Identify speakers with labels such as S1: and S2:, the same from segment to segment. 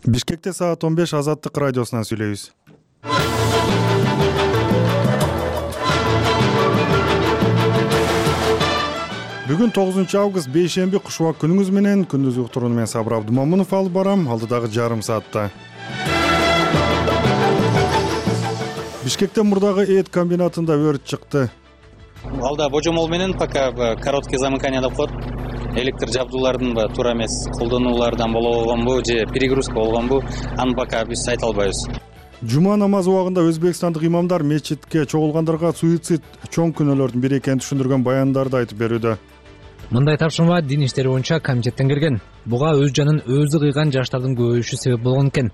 S1: Бишкекте саат 15 Азаттык радиосунан сүйлөйбүз. Бүгүн 9 август бейшемби куш убак күнүңүз менен күндүз уктурууну мен Сабыр Абдымомунов алып барам. Алдыдагы жарым саатта Бишкекте мурдагы эт комбинатында өрт чыкты.
S2: Алда божомол менен пока короткий замыкание деп коет. Электр жабдуулардын туура эмес колдонулардан болгонбу же перегрузка болгонбу, аны пока биз айта албайбыз.
S1: Жума намазы убагында өзбекстандык имамдар мечитке чогулгандарга суицид чоң күнөөлөрдүн бири экенин түшүндүргөн баяндарды айтып берүүдө.
S3: Мындай тапшырма дин иштери боюнча комитеттен келген. Буга өз жанын өзү кыйган жаштардын көбөйүшү себеп болгон экен.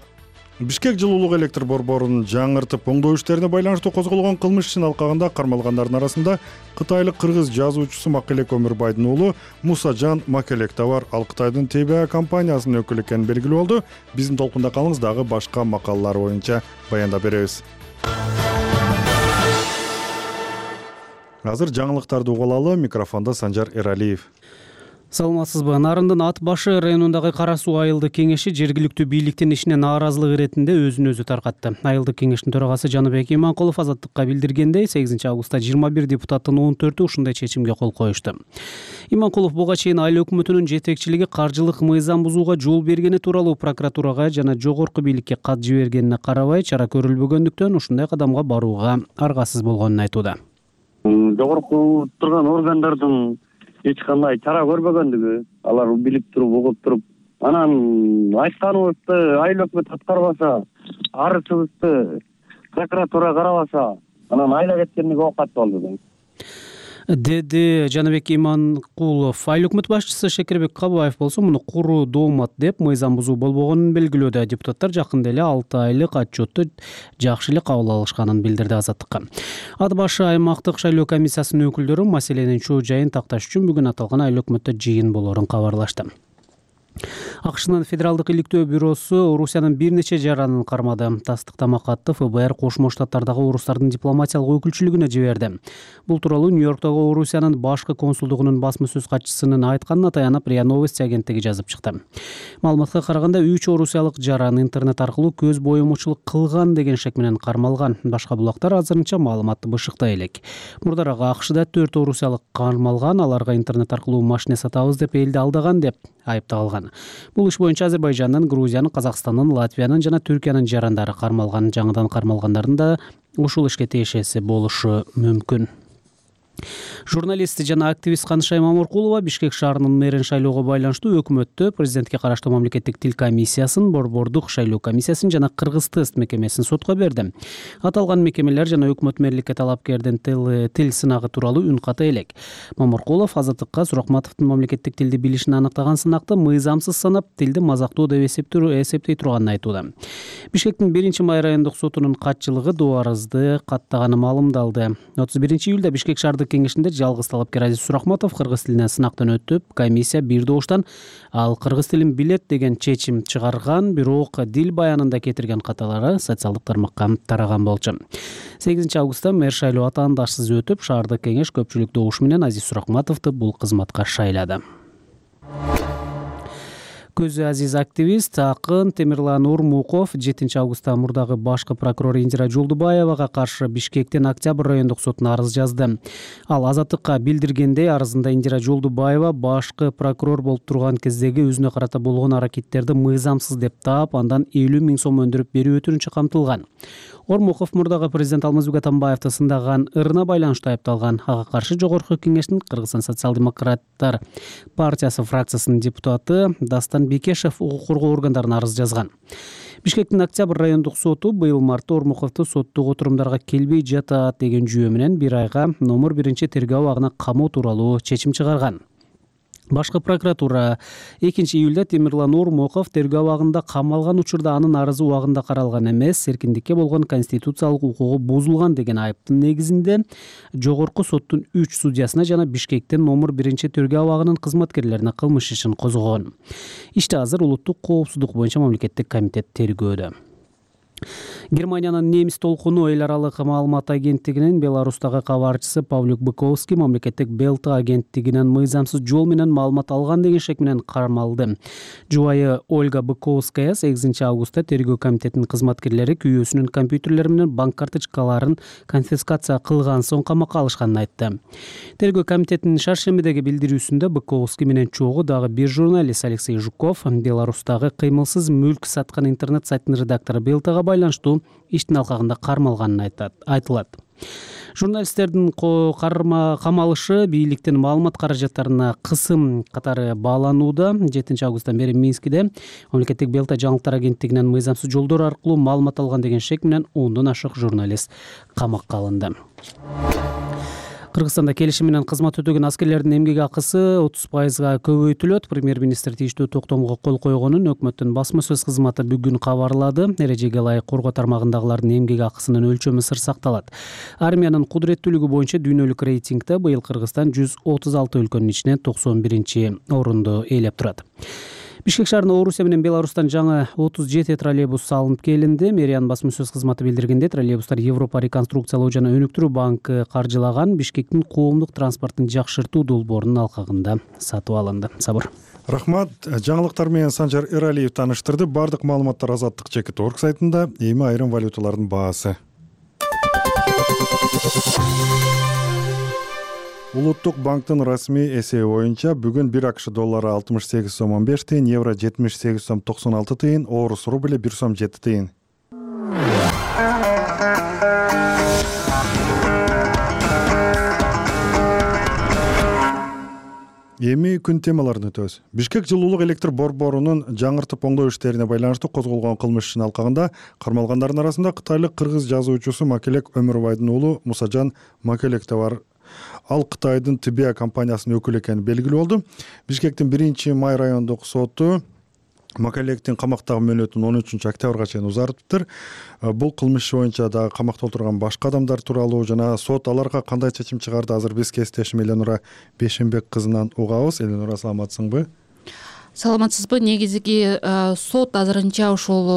S1: Бишкек жылуулук электр борборун жаңыртып оңдоо иштерине байланыштуу козголгон кылмыш ишин алкагында кармалгандардын арасында кытайлык кыргыз жазуучусу Макелек Өмүрбайдын уулу Мусажан Макелек да бар. Ал Кытайдын ТБА компаниясынын өкүлү экени белгилүү болду. Биздин толкунда калыңыз, дагы башка макалалар боюнча баяндап беребиз. Азыр жаңылыктарды угулалы. Микрофондо Санжар Эралиев.
S4: Саламатсызбы? Нарындын Ат башы районундагы Кара Суу айылдык кеңеши жергиликтүү бийликтин ишине нааразылык иретинде өзүн өзү таркатты. Айылдык кеңештин төрагасы Жаныбек Иманкулов Азаттыкка билдиргендей, 8 августта 21 депутаттын 14-ü ушундай чечимге кол коюшту. Иманкулов буга чейин айыл өкмөтүнүн жетекчилиги каржылык мыйзам бузууга жол бергени тууралуу прокуратурага жана жогорку бийликке кат жибергенине карабай, чара көрүлбөгөндүктөн ушундай кадамга барууга аргасыз болгонун айтууда.
S5: Жогорку турган органдардын эч кандай чара көрбөгөндүгү, алар билип туруп, угуп туруп, анан айтканыбызды айыл өкмөт аткарбаса, арызыбызды прокуратура карабаса, анан айла кеткендиги оокат болду
S4: деди Жаныбек Иманкулов. Айыл өкмөт башчысы Шекербек Кабаев болсо муну куруу доомат деп, мыйзам бузуу болбогонун белгилөөдө. Депутаттар жакында эле 6 айлык отчетту жакшы эле кабыл алышканын билдирди Азаттыкка. Ат башы аймактык шайлоо комиссиясынын өкүлдөрү маселенин чоо жайын такташ үчүн бүгүн аталган айыл өкмөттө жыйын болоорун кабарлашты. АКШнын Федералдык иликтөө бюросу Орусиянын бир нече жаранын кармады. Тастыктама катты ФБР Кошмо Штаттардагы орустардын дипломатиялык өкүлчүлүгүнө жиберди. Бул тууралуу Нью-Йорктогу Орусиянын башкы консулдугунун басма сөз катчысынын айтканына таянып РИА Новости агенттиги жазып чыкты. Маалыматка караганда 3 орусиялык жаран интернет аркылуу көз боемочулук кылган деген шек менен кармалган. Башка булактар азырынча маалыматты бышыктай элек. Мурдараак АКШда 4 орусиялык кармалган, аларга интернет аркылуу машина сатабыз деп элди алдаган деп айыпталган. Бул иш боюнча Азербайжандын, Грузиянын, Казакстандын, Латвиянын жана Түркиянын жарандары кармалган. Жаңыдан кармалгандардын да ушул ишке тиешеси болушу мүмкүн. Журналист жана активист Канышай Маморкулова Бишкек шаарынын мэрин шайлоого байланыштуу өкмөттө президентке караштуу мамлекеттик тил комиссиясын, борбордук шайлоо комиссиясын жана Кыргыз тест мекемесин сотко берди. Аталган мекемелер жана өкмөт мэрликке талапкердин тил сынагы тууралуу үн ката элек. Маморкулов Азаттыкка Суракматовдун мамлекеттик тилди билишин аныктаган сынакты мыйзамсыз санап, тилди мазактоо деп эсептей турганын айтууда. Бишкектин 1-май райондук сотунун катчылыгы дуарызды каттаганы маалымдалды. 31-июлда Бишкек шаардык кеңешинде жалгыз талапкер Азиз Суракматов кыргыз тилинен сынактан өтүп, комиссия бир добуштан ал кыргыз тилин билет деген чечим чыгарган, бирок дил баянында кетирген каталары социалдык тармакка тараган болчу. 8 августта мэр шайлоо атаандашсыз өтүп, шаардык кеңеш көпчүлүк добуш менен Азиз Суракматовду бул кызматка шайлады. Көзү азиз активист акын Темирлан Урмуков 7 августта мурдагы башкы прокурор Индира Жолдубаевага каршы Бишкектин Октябрь райондук сотуна арыз жазды. Ал Азаттыкка билдиргендей, арызында Индира Жолдубаева башкы прокурор болуп турган кездеги өзүнө карата болгон аракеттерди мыйзамсыз деп таап, андан 50 000 сом өндүрүп берүү өтүнүчү камтылган. Ормуков мурдагы президент Алмазбек Атамбаевди сындаган ырына байланыштуу айыпталган. Ага каршы жогорку кеңештин Кыргызстан социал-демократтар партиясы фракциясынын депутаты Дастан Бекешев укук коргоо органдарына арыз жазган. Бишкектин Октябрь райондук соту быйыл мартта Ормуковду соттук отурумдарга келбей жатат деген жүйө менен 1 айга номер 1 тергөө абагына камоо тууралуу чечим чыгарган. Башкы прокуратура 2 июлда Темирлан Урмуков тергөө абагында камалган учурда анын арызы убагында каралган эмес, эркиндикке болгон конституциялык укугу бузулган деген айыптын негизинде жогорку соттун 3 судьясына жана Бишкектин номер 1 тергөө абагынын кызматкерлерине кылмыш ишин козгогон. Иште азыр улуттук коопсуздук боюнча мамлекеттик комитет тергөөдө. Германиянын немис толкуну эл аралык маалымат агенттигинин Беларустагы кабарчысы Павлюк Быковский мамлекеттик Белта агенттигинен мыйзамсыз жол менен маалымат алган деген шек менен кармалды. Жубайы Ольга Быковская 8 августта тергөө комитетинин кызматкерлери күйөөсүнүн компьютерлери менен банк карточкаларын конфискация кылган соң камакка алышканын айтты. Тергөө комитетинин шаршембидеги билдирүүсүндө Быковский менен чогуу дагы бир журналист Алексей Жуков Беларустагы кыймылсыз мүлк саткан интернет сайтынын редактору Белтага байланыштуу иштин алкагында кармалганын айтылат. Журналисттердин камалышы бийликтин маалымат каражаттарына кысым катары бааланууда. 7 августтан бери Минскиде мамлекеттик Белта жаңылыктар агенттигинен мыйзамсыз жолдор аркылуу маалымат алган деген шек менен 10дон ашык журналист камакка алынды. Кыргызстанда келишим менен кызмат өтөгөн аскерлердин эмгек акысы 30%га көбөйтүлөт. Премьер-министр тийиштүү токтомго кол койгонун өкмөттүн басма сөз кызматы бүгүн кабарлады. Эрежеге ылайык коргоо тармагындагылардын эмгек акысынын өлчөмү сыр сакталат. Армиянын кудуреттүүлүгү боюнча дүйнөлүк рейтингде быйыл Кыргызстан 136 өлкөнүн ичинен 91-орунду ээлеп турат. Бишкек шаарына Орусия менен Беларустан жаңы 37 троллейбус салынып келинди. Мэриянын басма сөз кызматы билдиргенде, троллейбустар Европа реконструкциялоо жана өнүктүрүү банкы каржылаган Бишкектин коомдук транспортун жакшыртуу долбоорунун алкагында сатып алынды. Сабыр.
S1: Рахмат. Жаңылыктар менен Санжар Эралиев тааныштырды. Бардык маалыматтар Азаттык Чекит.орг сайтында. Эми айрым валюталардын баасы. Улуттук банктын расмий эсеби боюнча бүгүн 1 АКШ доллары 68 сом 15 тыйын, евро 78 сом 96 тыйын, орус рубли 1 сом 7 тыйын. Эми күн темаларын өтөбүз. Бишкек жылуулук электр борборунун жаңыртып оңдоо иштерине байланыштуу козголгон кылмыш ишинин алкагында кармалгандардын арасында кытайлык кыргыз жазуучусу Макелек Өмүрбайдын уулу Мусажан Макелек да бар. Ал Кытайдын Тибия компаниясынын өкүлү экени белгилүү болду. Бишкектин 1-май райондук соту Макелектин камактагы мөөнөтүн 13 октябрга чейин узартыптыр. Бул кылмыш боюнча дагы камакта отурган башка адамдар тууралуу жана сот аларга кандай чечим чыгарды азыр биз кесиптешим Эленура Бешенбек кызынан угабыз. Эленура, саламатсыңбы?
S6: Саламатсызбы? Негизги сот азырынча ушул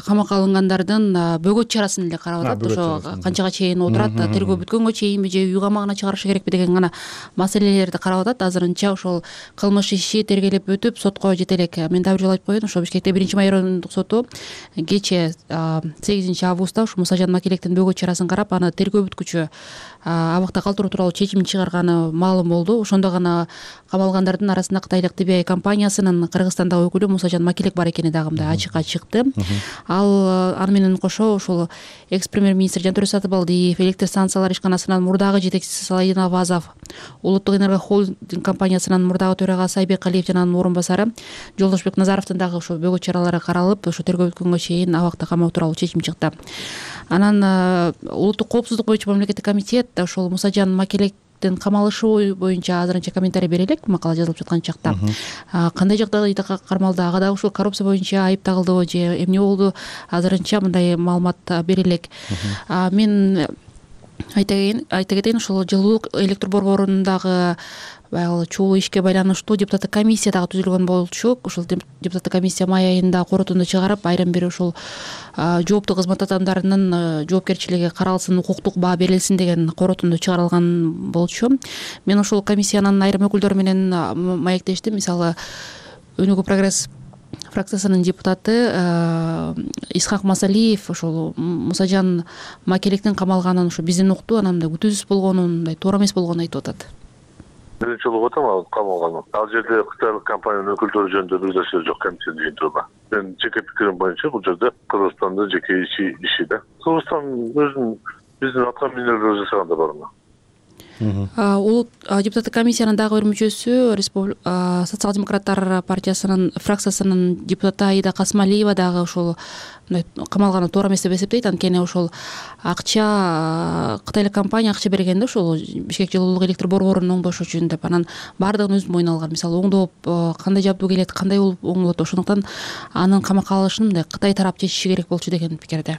S6: камакка алынгандардын бөгөт чарасын эле карап атат. Ошо канчага чейин отурат, тергөө бүткөнгө чейинби же үй камагына чыгарышы керекпи деген гана маселелерди карап атат. Азырынча ошол кылмыш иши тергелеп өтүп, сотко жете элек. Мен дагы бир жолу айтып коеюн, ошо Бишкекте 1-май райондук соту кечээ 8 августта ушу Мусажан Макелектин бөгөт чарасын карап, аны тергөө бүткүчү абакта калтыруу тууралуу чечим чыгарганы маалым болду. Ошондо гана камалгандардын арасында кытайлык Тибия компаниясынын Кыргызстандагы өкүлү Мусажан Макелек бар экени дагы мындай ачыкка чыкты. Аны менен кошо ушул экс-премьер-министр Жантөрө Сатыбалдиев, электр станциялар ишканасынын мурдагы жетекчиси Саладин Абазов, Улуттук энергохолдинг компаниясынын мурдагы төрагасы Айбек Алиев жана анын орун басары Жолдошбек Назаровдун дагы ошо бөгөт чаралары каралып, ошо тергөө бүткөнгө чейин абакта камоо тууралуу чечим чыкты. Анан улуттук коопсуздук боюнча мамлекеттик комитет ошол Мусажан Макелектин камалышы боюнча азырынча комментарий бере элек, макала жазылып жаткан чакта. Кандай жагдайда кармалды, ага дагы ушул коррупция боюнча айып тагылдыбы же эмне болду, азырынча мындай маалымат бере элек. Мен айта кетейин, ушул жылуулук электр борборундагы баягы чогуу ишке байланыштуу депутаттык комиссия дагы түзүлгөн болчу. Ушул депутаттык комиссия май айында корутунду чыгарып, айрым бир ушул жооптуу кызмат адамдарынын жоопкерчилиги каралсын, укуктук баа берилсин деген корутунду чыгарылган болчу. Мен ушул комиссиянын айрым өкүлдөрү менен маектештим. Мисалы, Өнүгүү прогресс фракциясынын депутаты Исхак Масалиев ошол Мусажан Макелектин камалганын ушу бизден укту, анан мындай күтүүсүз болгонун, мындай туура эмес болгонун айтып атат.
S7: Биринчи жолу атам ал камалган. Ал жерде кытайлык компаниянын өкүлдөрү жөнүндө бир нерсе жок, комиссия жыйынтыгында. Мен жеке пикирим боюнча бул жерде Кыргызстандын жеке иши да. Кыргызстан өзүнүн биздин аткан минерлери жасаганда барына.
S6: Депутаттык комиссиянын дагы бир мүчөсү социал-демократтар партиясынын фракциясынын депутаты Аида Касмалиева дагы ушул камалганы туура эмес деп эсептейт. Анткени ошол акча кытайлык компания акча бергенде ошол Бишкек жылуулук электр борборун оңдош үчүн деп, анан баардыгын өзүнүн мойнуна алган. Мисалы, оңдоп кандай жабдуу келет, кандай болуп оңдолот, ошондуктан анын камакка алышын мындай Кытай тарап чечиши керек болчу деген пикирде.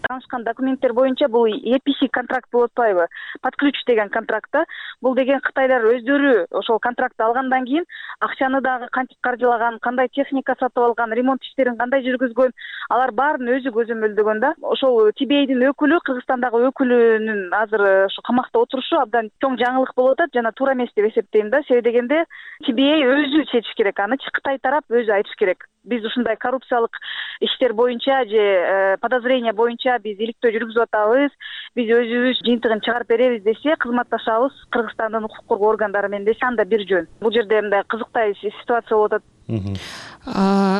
S8: таанышкан документтер боюнча бул EPC контракт болуп атпайбы, под ключ деген контракт. Бул деген Кытайлар өздөрү ошол контрактты алгандан кийин акчаны дагы кантип каржылаган, кандай техника сатып алган, ремонт иштерин кандай жүргүзгөн, алар баарын өзү көзөмөлдөгөн да. Ошол TBA'дин өкүлү, Кыргызстандагы өкүлүнүн азыр ошо камакта отурушу абдан чоң жаңылык болуп атат жана туура эмес деп эсептейм да. Себеби дегенде TBA өзү чечиш керек, аны Кытай тарап өзү айтыш керек. Биз ушундай коррупциялык иштер боюнча же подозрение боюнча биз иликтөө жүргүзүп атабыз, биз өзүбүз жыйынтыгын чыгарып беребиз десе, кызматташабыз Кыргызстандын укук коргоо органдары менен десе, анда бир жөн. Бул жерде мындай кызыктай ситуация болуп атат.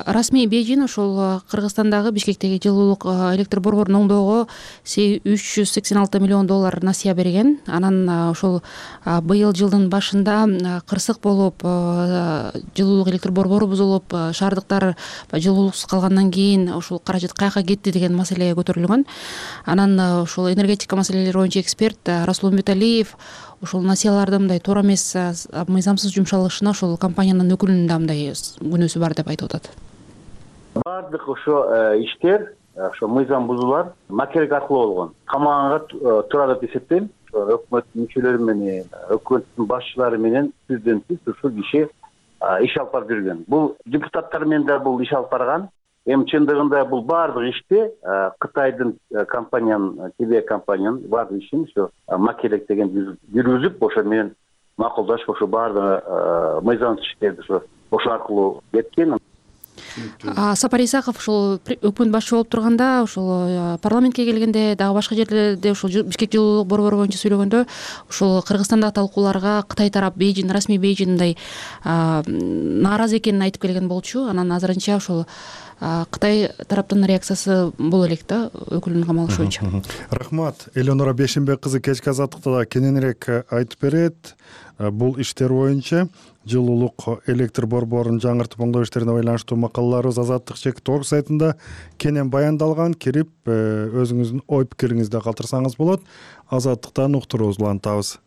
S6: Расмий Бейжин ошол Кыргызстандагы Бишкектеги жылуулук электр борборун оңдоого $386 миллион насыя берген. Анан ошол быйыл жылдын башында кырсык болуп, жылуулук электр борбору бузулуп, шаардыктар жылуулуксуз калгандан кийин ошол каражат каяка кетти деген маселе көтөрүлгөн. Анан ошол энергетика маселелери боюнча эксперт Расул Умбеталиев ошол насыялардын мындай туура эмес, мыйзамсыз жумшалышына ошол компаниянын өкүлүнүн да мындай күнөөсү бар деп айтып атат.
S9: Бардык ошо иштер, ошо мыйзам бузуулар макелек аркылуу болгон. Камаганга туура деп эсептейм. Өкмөт мүчөлөрү менен, өкмөттүн башчылары менен президентибиз ушул киши иш алып барып жүргөн. Бул депутаттар менен да бул иш алып барган. Эми чындыгында бул баардык ишти Кытайдын компаниянын, TBA компаниянын баардык ишин ошо макелек деген жүргүзүп, ошо менен макулдашып, ошо баардык мыйзамсыз иштерди ошо аркылуу кеткен.
S6: Сапар Исаков ошол өкмөт башчы болуп турганда, ошол парламентке келгенде, дагы башка жерлерде ошол Бишкек жылуулук борбору боюнча сүйлөгөндө, ошол Кыргызстандагы талкууларга Кытай тарап Бейжин, расмий Бейжин мындай нааразы экенин айтып келген болчу. Анан азырынча ошол Кытай тараптын реакциясы боло элек да, өкүлүнүн камалышы боюнча.
S1: Рахмат. Элеонора Бешенбек кызы кечки азаттыкта да кененирээк айтып берет. Бул иштер боюнча жылуулук электр борборун жаңыртып оңдоо иштерине байланыштуу макалаларыбыз Азаттык /org сайтында кенен баяндалган. Кирип өзүңүздүн ой пикириңизди калтырсаңыз болот. Азаттыктан уктуруубузду улантабыз.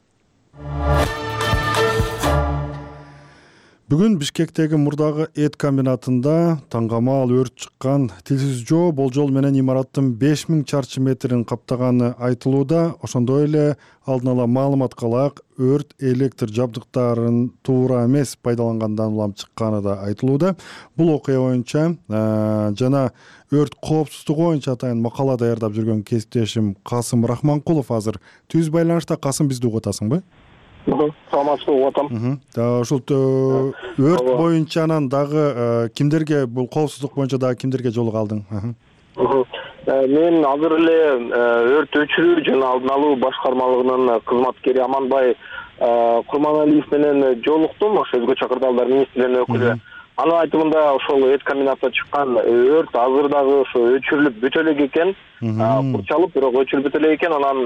S1: Бүгүн Бишкектеги мурдагы эт комбинатында таңгамал өрт чыккан. Тилсиз жоо болжол менен имараттын 5000 чарчы метрин каптаганы айтылууда. Ошондой эле алдын ала маалымат калак, өрт электр жабдыктарын туура эмес пайдалангандан улам чыкканы да айтылууда. Бул окуя боюнча жана өрт коопсуздугу боюнча атайын макала даярдап жүргөн кесиптешим Касым Рахманкулов азыр түз байланышта. Касым, бизди угуп атасыңбы?
S10: Саламатсызбы, угуп атам.
S1: Ушул өрт боюнча анан дагы кимдерге, бул коопсуздук боюнча дагы кимдерге жолугуп калдың?
S10: Мен азыр эле өрт өчүрүү жана алдын алуу башкармалыгынын кызматкери Аманбай Курманалиев менен жолуктум. Ошо өзгөчө кырдаалдар министрлигинин өкүлү. Анын айтымында ошол эт комбинатта чыккан өрт азыр дагы ошо өчүрүлүп бүтө элек экен, курчалып, бирок өчүрүлүп бүтө элек экен. Анан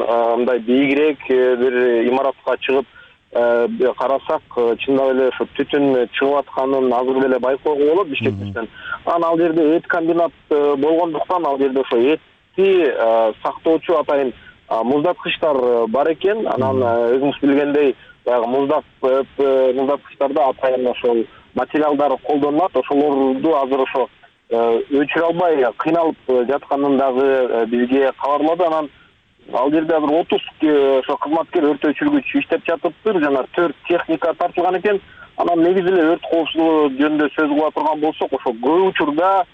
S10: мындай бийигирээк бир имаратка чыгып карасак, чындап эле ошо түтүн чыгып атканын азыр эле байкоого болот Бишкектен. Анан ал жерде эт комбинат болгондуктан ал жерде ошо этти сактоочу атайын муздаткычтар бар экен. Анан өзүңүз билгендей, баягы муздаткычтарда атайын ошол материалдар колдонулат. Ошолорду азыр ошо өчүрө албай кыйналып жатканын дагы бизге кабарлады. Анан ал жерде азыр 30 ошо кызматкер өрт өчүргүч иштеп жатыптыр жана 4 техника тартылган экен. Анан негизи эле өрт коопсуздугу жөнүндө сөз кыла турган болсок, ошо көп учурда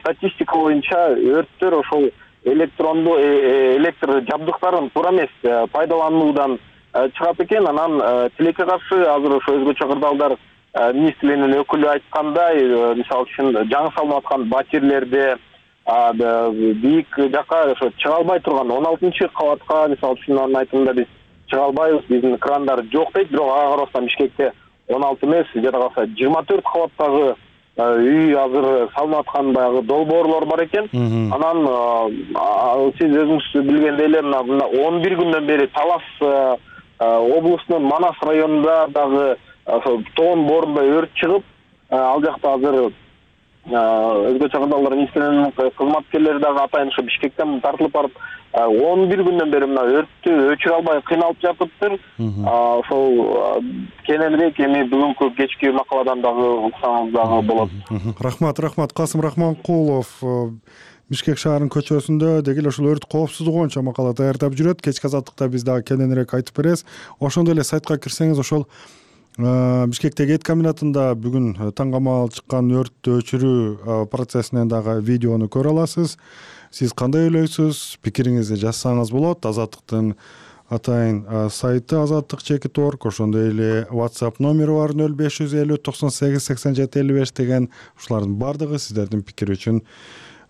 S10: статистика боюнча өрттөр ошол электр жабдыктарын туура эмес пайдалануудан чыгат экен. Анан тилекке каршы азыр ошо өзгөчө кырдаалдар министрлигинин өкүлү айткандай, мисалы үчүн жаңы салынып аткан батирлерде бийик жака ошо чыга албай турган 16 кабатка, мисалы үчүн анын айтымында биз чыга албайбыз, биздин крандар жок дейт. Бирок ага карабастан Бишкекте 16 эмес, жада калса 24 кабаттагы үй азыр салынып аткан баягы долбоорлор бар экен. Анан сиз өзүңүз билгендей эле мына 11 күндөн бери Талас облусунун Манас районунда дагы ошо тоон боорунда өрт чыгып, ал жакта азыр өзгөчө кырдаалдар министрлигинин кызматкерлери дагы атайын ошо Бишкектен тартылып барып 11 күндөн бери мына өрттү өчүрө албай кыйналып жатыптыр. Ошол кененирээк эми бүгүнкү кечки макаладан дагы уксаңыз дагы болот.
S1: Рахмат, Касым Рахманкулов Бишкек шаарынын көчөсүндө деги эле ушул өрт коопсуздугу боюнча макала даярдап жүрөт. Кечки азаттыкта биз дагы кененирээк айтып беребиз. Ошондой эле сайтка кирсеңиз ошол Бишкектеги эт комбинатында бүгүн таңгамал чыккан өрттү өчүрүү процессинен дагы видеону көрө аласыз. Сиз кандай ойлойсуз? Пикириңизди жазсаңыз болот. Азаттыктын атайын сайты azattik.org, ошондой эле WhatsApp номери бар 0550 98 87 55 деген. Ушулардын бардыгы сиздердин пикир үчүн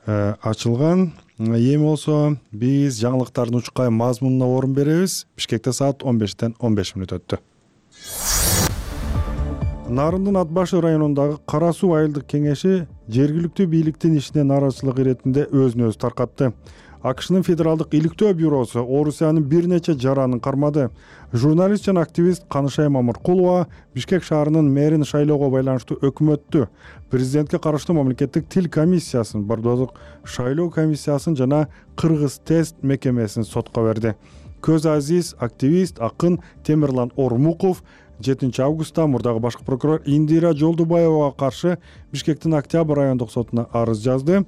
S1: ачылган. Эми болсо биз жаңылыктардын учкай мазмунуна орун беребиз. Бишкекте саат 15-тен 15 мүнөт өттү. Нарындын Ат башы районундагы Кара суу айылдык кеңеши жергиликтүү бийликтин ишине нааразычылык иретинде өзүн өзү таркатты. АКШнын федералдык иликтөө бюросу Орусиянын бир нече жаранын кармады. Журналист жана активист Канышай Мамыркулова Бишкек шаарынын мэрин шайлоого байланыштуу өкмөттү, президентке караштуу мамлекеттик тил комиссиясын, бардоодук шайлоо комиссиясын жана Кыргыз тест мекемесин сотко берди. Көз Азиз, активист, акын Темирлан Ормуков 7 августта мурдагы башкы прокурор Индира Жолдубаевага каршы Бишкектин Октябрь райондук сотуна арыз жазды.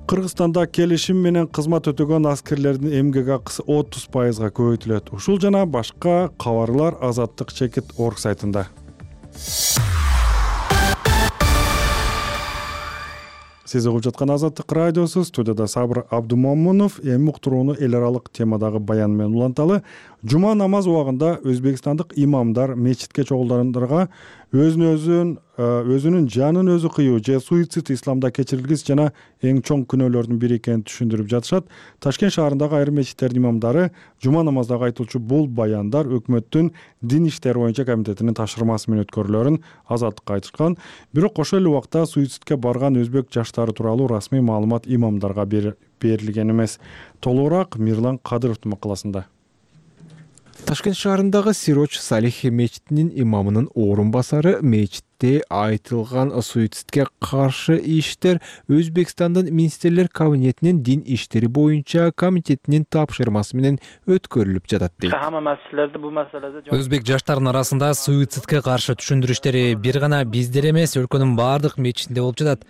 S1: Кыргызстанда келишим менен кызмат өтөгөн аскерлердин эмгек акысы 30%га көбөйтүлөт. Ушул жана башка кабарлар azattik.org сайтында. Сиз угуп жаткан Азаттык радиосу, студияда Сабыр Абдумомунов. Эми уктурууну эл аралык темадагы баян менен уланталы. Жума намаз убагында өзбекстандык имамдар мечитке чогулгандарга өзүнүн жанын өзү кыюу же суицид исламда кечирилгис жана эң чоң күнөөлөрдүн бири экенин түшүндүрүп жатышат. Ташкент шаарындагы айрым мечиттердин имамдары жума намаздагы айтылчу бул баяндар өкмөттүн дин иштери боюнча комитетинин тапшырмасы менен өткөрүлөрүн Азаттыкка айтышкан. Бирок ошол эле убакта суицидке барган өзбек жаштары тууралуу расмий маалымат имамдарга берилген эмес. Толугураак Мирлан Кадыровдун макаласында.
S11: Ташкент шаарындагы Сироч Салих мечитинин имамынын орун басары мечитте айтылган суицидке каршы иштер Өзбекстандын министрлер кабинетинин дин иштери боюнча комитетинин тапшырмасы менен өткөрүлүп жатат дейт.
S3: Өзбек жаштарынын арасында суицидке каршы түшүндүрүү иштери бир гана биздер эмес, өлкөнүн бардык мечитинде болуп жатат.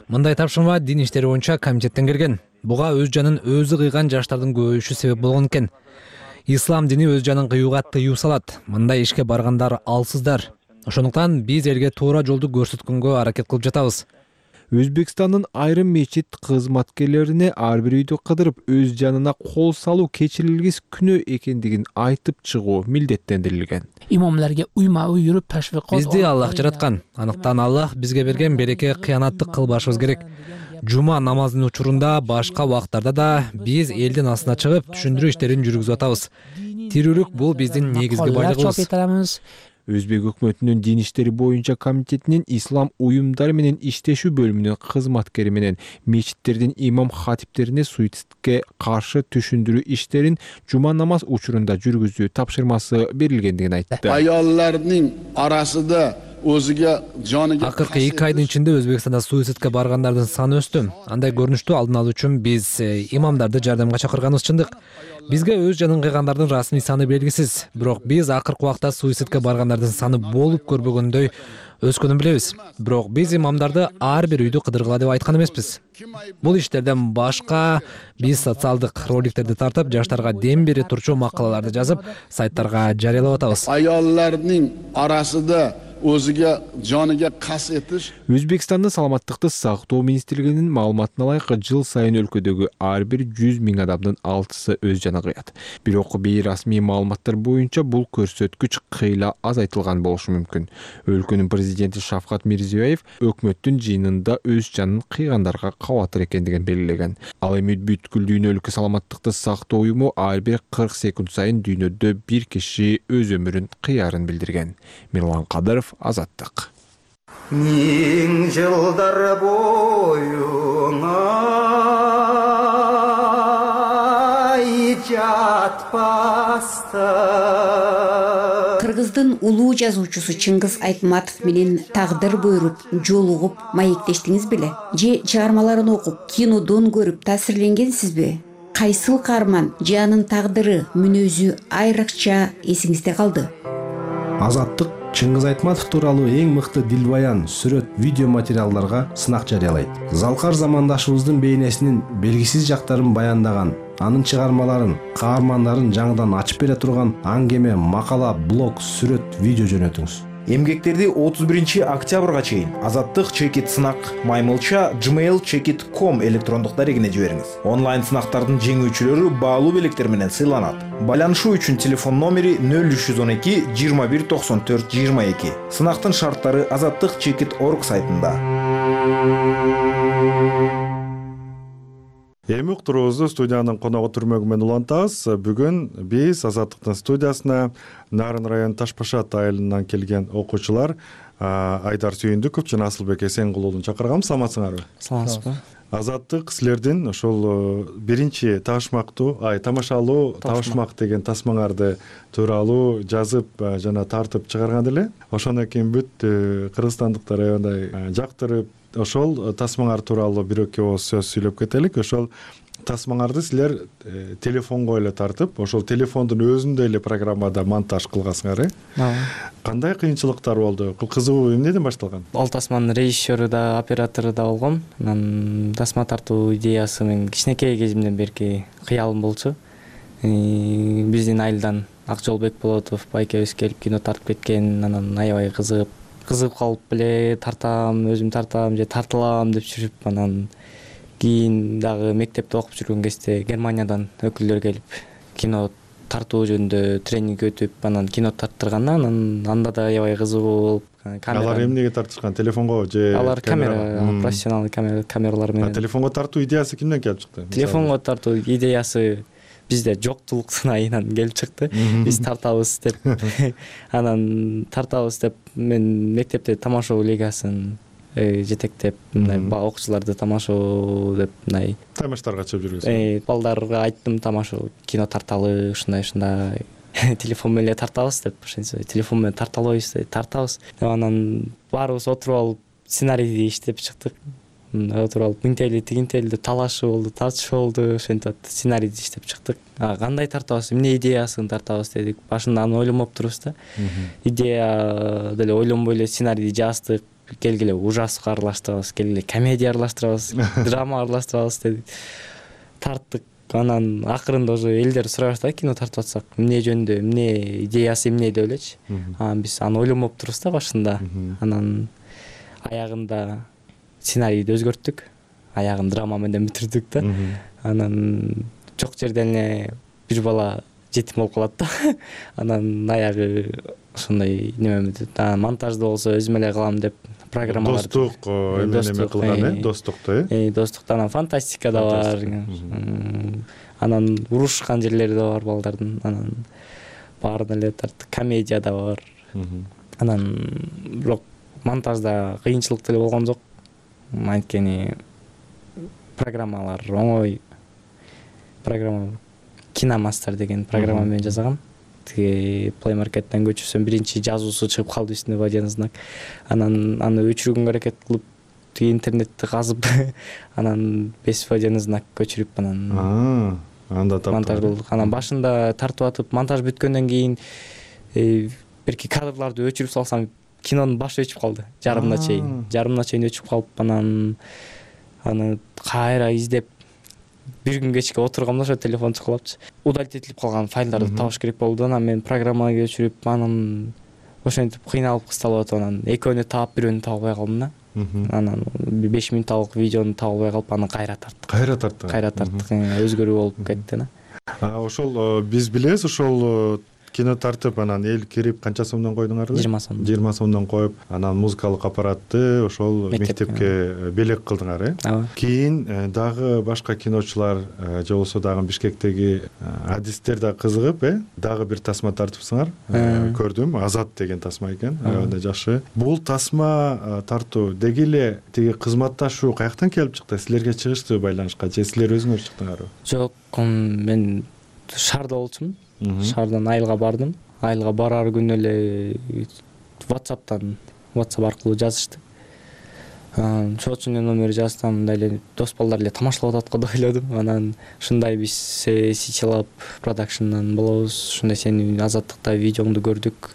S3: Мындай тапшырма дин иштери боюнча комитеттен келген. Буга өз жанын өзү кыйган жаштардын көбөйүшү себеп болгон экен. Ислам дини өз жанын кыюуга тыюу салат. Мындай ишке баргандар алсыздар. Ошондуктан биз элге туура жолду көрсөткөнгө аракет кылып жатабыз.
S11: Өзбекстандын айрым мечит кызматкерлерине ар бир үйдү кыдырып өз жанына кол салуу кечирилгис күнөө экендигин айтып чыгуу милдеттендирилген.
S12: Имамларга уйма-уй жүрүп ташвик кылып,
S3: бизди Аллах жараткан. Анықтан Аллах бизге берген береке кыянаттык кылбашыбыз керек. Жума намазынын учурунда башка убактарда да биз элдин астына чыгып түшүндүрүү иштерин жүргүзүп атабыз. Тирүүлүк бул биздин негизги байлыгыбыз.
S11: Өзбек өкмөтүнүн дин иштери боюнча комитетинин ислам уюмдары менен иштешүү бөлүмүнүн кызматкери менен мечиттердин имам хатиптерине суицидке каршы түшүндүрүү иштерин жума намаз учурунда жүргүзүү тапшырмасы берилгендигин айтты.
S13: Аяллардын арасында
S3: Акыркы 2 айдын ичинде Өзбекстанда суицидке баргандардын саны өстү. Андай көрүнүштү алдын алуу үчүн биз имамдарды жардамга чакырганыбыз чындык. Бизге өз жанын кыйгандардын расмий саны белгисиз. Бирок биз акыркы убакта суицидке баргандардын саны болуп көрбөгөндөй өскөнүн билебиз. Бирок биз имамдарды ар бир үйдү кыдыргыла деп айткан эмеспиз. Бул иштерден башка биз социалдык роликтерди тартып, жаштарга дем бере турчу макалаларды жазып, сайттарга жарыялап атабыз.
S13: Аяллардын арасында өзүгө жаныга кас этиш.
S11: Өзбекстандын саламаттыкты сактоо министрлигинин маалыматына ылайык жыл сайын өлкөдөгү ар бир 100 миң адамдын 6-сы өз жанын кыят. Бирок бейрасмий маалыматтар боюнча бул көрсөткүч кыйла азайтылган болушу мүмкүн. Өлкөнүн президенти Шавкат Мирзиёев өкмөттүн жыйынында өз жанын кыйгандарга кабатыр экендигин белгилеген. Ал эми бүткүл дүйнө өлкө саламаттыкты сактоо уюму ар бир 40 секунд сайын дүйнөдө бир киши өз өмүрүн кыярын билдирген. Мирлан Кадыров, Азаттык.
S14: Миң жылдар боюңа жатпаста.
S15: Кыргыздын улуу жазуучусу Чыңгыз Айтматов менен тагдыр буйруп, жолугуп маектештиңиз беле? Же чыгармаларын окуп, кинодон көрүп таасирленгенсизби? Кайсыл каарман же анын тагдыры, мүнөзү айрыкча эсиңизде калды?
S16: Азаттык Чыңгыз Айтматов тууралуу эң мыкты дилбаян, сүрөт, видео материалдарга сынак жарыялайт. Залкар замандашыбыздын бейнесинин белгисиз жактарын баяндаган, анын чыгармаларын, каармандарын жаңыдан ачып бере турган аңгеме, макала, блог, сүрөт, видео жөнөтүңүз.
S17: Эмгектерди 31 октябрга чейин Азаттык чекит сынак маймылча gmail.com электрондук дарегине жибериңиз. Онлайн сынактардын жеңүүчүлөрү баалуу белектер менен сыйланат. Байланышуу үчүн телефон номери 0312 21 94 22. Сынактын шарттары Азаттык чекит.org сайтында.
S1: Эми уктуруубузду студиянын коногу Түрмөгү менен улантабыз. Бүгүн биз Азаттыктын студиясына Нарын району Таш Башат айылынан келген окуучулар Айдар Сүйүндүков жана Асылбек Эсенгулуулун чакырганбыз. Саламатсыңарбы?
S18: Саламатсызбы.
S1: Азаттык силердин ошол биринчи тамашалуу табышмак деген тасмаңарды тууралуу жазып жана тартып чыгарган эле. Ошондон кийин бүт кыргызстандыктар аябай жактырып, ошол тасмаңар тууралуу бир-эки ооз сөз сүйлөп кетелик. Ошол тасмаңарды силер телефонго эле тартып, ошол телефондун өзүндө эле программада монтаж кылгансыңар, Кандай кыйынчылыктар болду? Кызыгуу эмнеден башталган?
S18: Ал тасманын режиссеру да, оператору да болгом. Анан тасма тартуу идеясы мен кичинекей кезимден берки кыялым болчу. Биздин айылдан Акжолбек Болотов байкебиз келип кино тартып кеткен, анан аябай кызыгып калып эле тартам, өзүм тартам же тартылам деп жүрүп, анан кийин дагы мектепте окуп жүргөн кезде Германиядан өкүлдөр келип кино тартуу жөнүндө тренинг өтүп, анан кино тарттырганда, анан анда да аябай кызыгуу болуп,
S1: Алар эмнеге тартышкан? Телефонго же
S18: алар камера, профессионалдуу камералар менен.
S1: Телефонго тартуу идеясы кимден келип чыкты?
S18: Телефонго тартуу идеясы бизде жоктулуктун айынан келип чыкты. Биз тартабыз деп. Анан тартабыз деп мен мектепте тамашоо лигасын жетектеп, мындай окуучуларды тамашоо деп мындай
S1: таймаштарга чыгып жүргөнсүң.
S18: Балдарга айттым, тамашоо кино тарталы, ушундай телефон менен тартабыз деп, ошентсе телефон менен тарта албайбыз деп, тартабыз деп, анан баарыбыз отуруп алып сценарийди иштеп чыктык. Отуруп алып мынтели тигинтели деп талашуу болду, тартышуу болду, ошентип сценарийди иштеп чыктык. Кандай тартабыз, эмне идеясын тартабыз дедик. Башында аны ойлонуп турбуз да. Идея деле ойлонбой эле сценарийди жаздык. Келгиле ужаска аралаштырабыз, келгиле комедия аралаштырабыз, драма аралаштырабыз дедик. Тарттык. Анан акырында уже элдер сурай баштады, кино тартып атсак, эмне жөнүндө, эмне идеясы эмне деп элечи. Биз аны ойлонуп турбуз да башында. Анан аягында сценарийди өзгөрттүк. Аягын драма менен бүтүрдүк да. Анан жок жерден эле бир бала жетим болуп калат да. Анан аягы ошондой неме монтажды болсо өзүм эле кылам деп программалар.
S1: Достук эме кылган, достукту.
S18: Достукту, анан фантастика да бар. Анан урушкан жерлери да бар балдардын. Анан баарын эле тарттык. Комедия да бар. Анан бирок монтажда кыйынчылык деле болгон жок. Анткени программалар оңой. Программа Киномастер деген программа менен жасагам. Тиги Play Market'тен көчүрсөм биринчи жазуусу чыгып калды үстүнө водяны знак. Анан аны өчүргөнгө аракет кылып, тиги интернетти казып, анан 5 водяны знак көчүрүп, анан
S1: анда
S18: монтаж кылдык. Анан башында тартып атып, монтаж бүткөндөн кийин берки кадрларды өчүрүп салсам, кинонун башы өчүп калды. Жарымына чейин өчүп калып, анан аны кайра издеп бир күн кечке отургамда ошо телефон чыкылапчы. Удалить этилип калган файлдарды табыш керек болду. Анан мен программага көчүрүп, анан ошентип кыйналып кысталып атып, анан экөөнү таап, бирөөнү таба албай калдым да. Анан 5 минутталык видеону таба албай калып, аны кайра тарттык. Өзгөрүү болуп кетти да.
S1: Ошол биз билебиз, ошол кино тартып, анан эл кирип канча сомдон койдуңар?
S18: 20 сом.
S1: 20 сомдон коюп, анан музыкалык аппаратты ошол мектепке белек кылдыңар, Кийин дагы башка киночулар же болбосо дагы Бишкектеги адистер да кызыгып, дагы бир тасма тартыпсыңар. Көрдүм, Азат деген тасма экен, аябай жакшы. Бул тасма тартуу деги эле тиги кызматташуу каяктан келип чыкты? Силерге чыгыштыбы байланышка, же силер өзүңөр чыктыңарбы?
S18: Жок, мен шаарда болчумун. Шаардан айылга бардым. Айылга барар күнү эле WhatsApp аркылуу жазышты. Чоочунун номери жазсам, мындай эле дос балдар эле тамашалап атат го деп ойлодум. Анан ушундай биз Сичилап продакшндан болобуз. Ушундай сени Азаттыкта видеоңду көрдүк.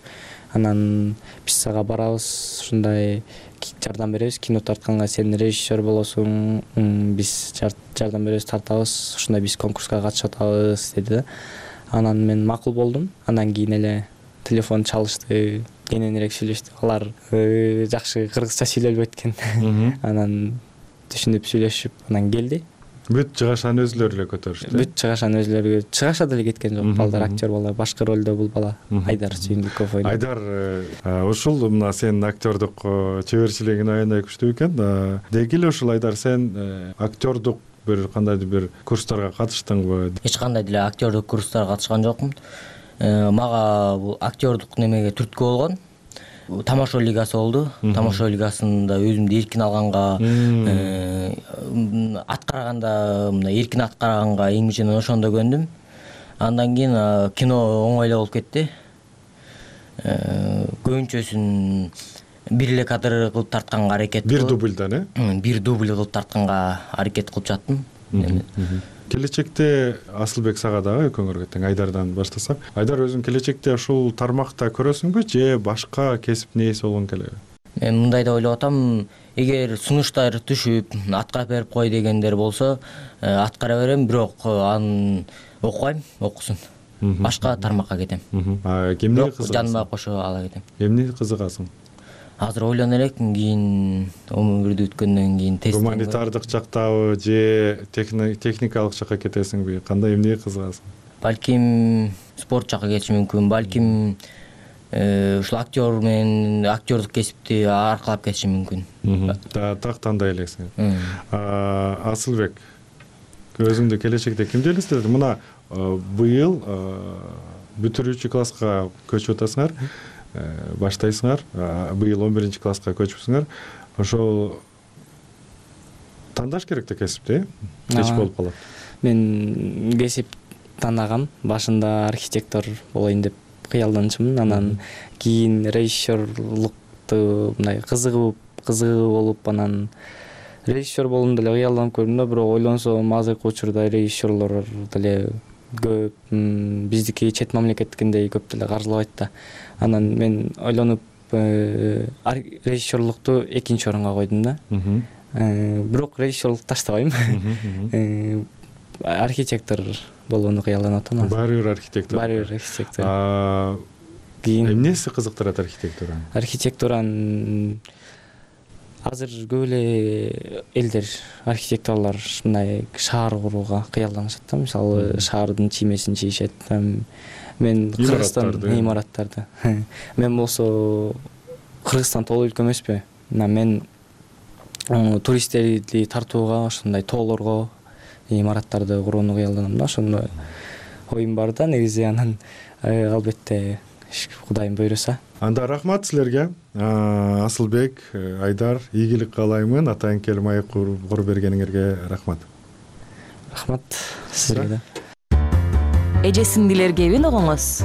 S18: анан биз сага барабыз, ушундай жардам беребиз, кино тартканга сен режиссер болосуң, биз жардам беребиз, тартабыз, ушундай биз конкурска катышып атабыз деди да. Анан мен макул болдум. Андан кийин эле телефон чалышты, кененирээк сүйлөштүк. Алар жакшы кыргызча сүйлөбөйт экен. Анан түшүнүп сүйлөшүп, анан келди.
S1: Бүт чыгашаны өзүлөрү эле көтөрүштү.
S18: Бүт чыгашаны өзүлөрү чыгаша деле кеткен жок. Балдар актер бала, башкы ролдо бул бала Айдар Сүйүндүков ойнойт.
S1: Айдар, ушул мына сенин актердук чеберчилигиң аябай күчтүү экен. Деги эле ушул Айдар, сен актердук бир кандайдыр бир курстарга катыштыңбы?
S19: Эч кандай деле актердук курстарга катышкан жокмун. Мага бул актердук немеге түрткү болгон Тамашо лигасы болду. Тамашо лигасында өзүмдү эркин алганга, аткарганда, мына эркин аткарганга эң ошондо көндүм. Андан кийин кино оңой эле болуп кетти. Көбүнчөсүн бир эле кадр кылып тартканга аракет кылып.
S1: Бир дублдан,
S19: Бир дубль кылып тартканга аракет кылып жаттым.
S1: Келечекте Асылбек сага дагы экөөңөргө тең Айдардан баштасак. Айдар, өзүң келечекте ушул тармакта көрөсүңбү же башка кесип нээси болгуң келеби?
S19: Мен мындай деп ойлоп атам, эгер сунуштар түшүп, аткарып берип кой дегендер болсо, аткара берем, бирок аны окубайм, окусун. Башка тармакка кетем.
S1: Эмнеге кызыгасың?
S19: Жаныма кошо ала кетем.
S1: Эмнеге кызыгасың?
S19: Азыр ойлоно элекмин, кийин өмүрдү өткөндөн кийин тест.
S1: Гуманитардык жактабы же техникалык жакка кетесиңби? Кандай, эмнеге кызыгасың?
S19: Балким спорт жакка кетишим мүмкүн, балким ушул актер менен актердук кесипти аркалап кетишим мүмкүн.
S1: Так тандай элексиң. Асылбек, өзүңдү келечекте кимди элестетет? Мына быйыл бүтүрүүчү класска көчүп атасыңар, баштайсыңар. Быйыл 11 класска көчүпсүңөр. Ошол тандаш керек да кесипти, кеч болуп калат.
S18: Мен кесип тандагам. Башында архитектор болоюн деп кыялданчумун. Анан кийин режиссерлукту мындай кызыгы болуп, анан режиссер болом деле кыялданып көрдүм да, бирок ойлонсом азыркы учурда режиссерлор деле көп, биздики чет мамлекеттикиндей көп деле каржылабайт да. Анан мен ойлонуп режиссерлукту экинчи орунга койдум да. Бирок режиссерлукту таштабайм. Архитектор болууну кыялданып атам.
S1: Баары бир архитектор.
S18: Баары бир архитектор.
S1: Эмнеси кызыктырат архитектураны?
S18: Архитектураны азыр көп эле элдер, архитекторлор мындай шаар курууга кыялданышат да. Мисалы, шаардын чиймесин чийишет. Мен Кыргызстан имараттарды. Мен болсо Кыргызстан толук өлкө эмеспи. Мен туристтерди тартууга, ошондой тоолорго имараттарды курууну кыялданам да. Ошондой оюм бар да негизи. Анан албетте Кудайым буйруса.
S1: Анда рахмат силерге. Асылбек, Айдар, ийгилик каалаймын. Атайын келип маек куруп бергениңерге рахмат.
S18: Рахмат силерге.
S20: Эже сиңдилер кебин угуңуз.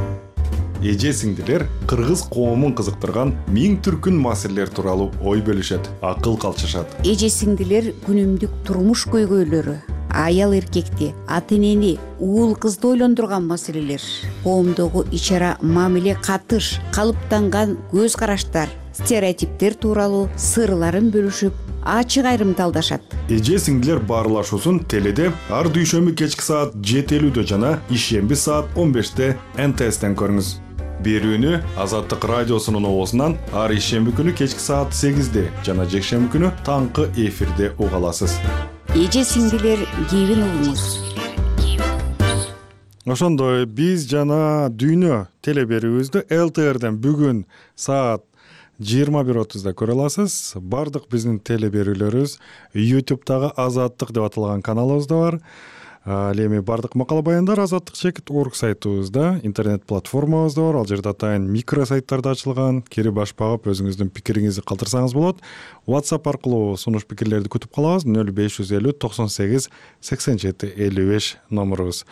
S1: Эже сиңдилер кыргыз коомун кызыктырган миң түркүн маселелер тууралуу ой бөлүшөт, акыл калчышат.
S15: Эже сиңдилер күнүмдүк турмуш көйгөйлөрү, аял эркекти, ата энени, уул кызды ойлондурган маселелер, коомдогу ич-ара мамиле катыш, калыптанган көз караштар, стереотиптер тууралуу сырларын бөлүшүп, ачык айрымталдашат.
S1: Эже сиңдилер баарлашуусун теледе ар дүйшөмбү кечки саат 7:50 жана ишемби саат 15 НТСтен көрүңүз. Берүүнү Азаттык радиосунун оозунан ар ишемби күнү кечки саат 8 жана жекшемби күнү таңкы эфирде уга аласыз.
S15: Эже сиңдилер кебин угуңуз.
S1: Ошондой биз жана дүйнө теле берүүбүздү ЛТРден бүгүн саат 21:30 көрө аласыз. Бардык биздин теле берүүлөрүбүз YouTube'дагы Азаттык деп аталган каналыбызда бар. Ал эми бардык макала баяндар azattik.org сайтыбызда, интернет платформабызда бар. Ал жерде атайын микро сайттарда ачылган. Кирип баш багып өзүңүздүн пикириңизди калтырсаңыз болот. WhatsApp аркылуу сунуш пикирлерди күтүп калабыз. 0550 98 87 55 номерубуз.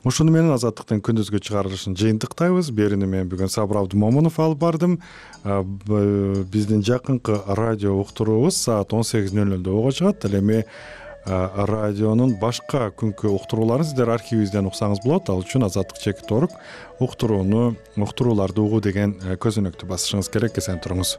S1: Ушуну менен Азаттыктын күндүзгү чыгарылышын жыйынтыктайбыз. Берүүнү мен бүгүн Сабыр Абдумомунов алып бардым. Биздин жакынкы радио уктуруубуз саат 18:00 ого чыгат. Ал эми радионун башка күнкү уктурууларын сиздер архивибизден уксаңыз болот. Ал үчүн Азаттык чекит.org уктурууларды угуу деген көзөнөктү басышыңыз керек. Эсен туруңуз.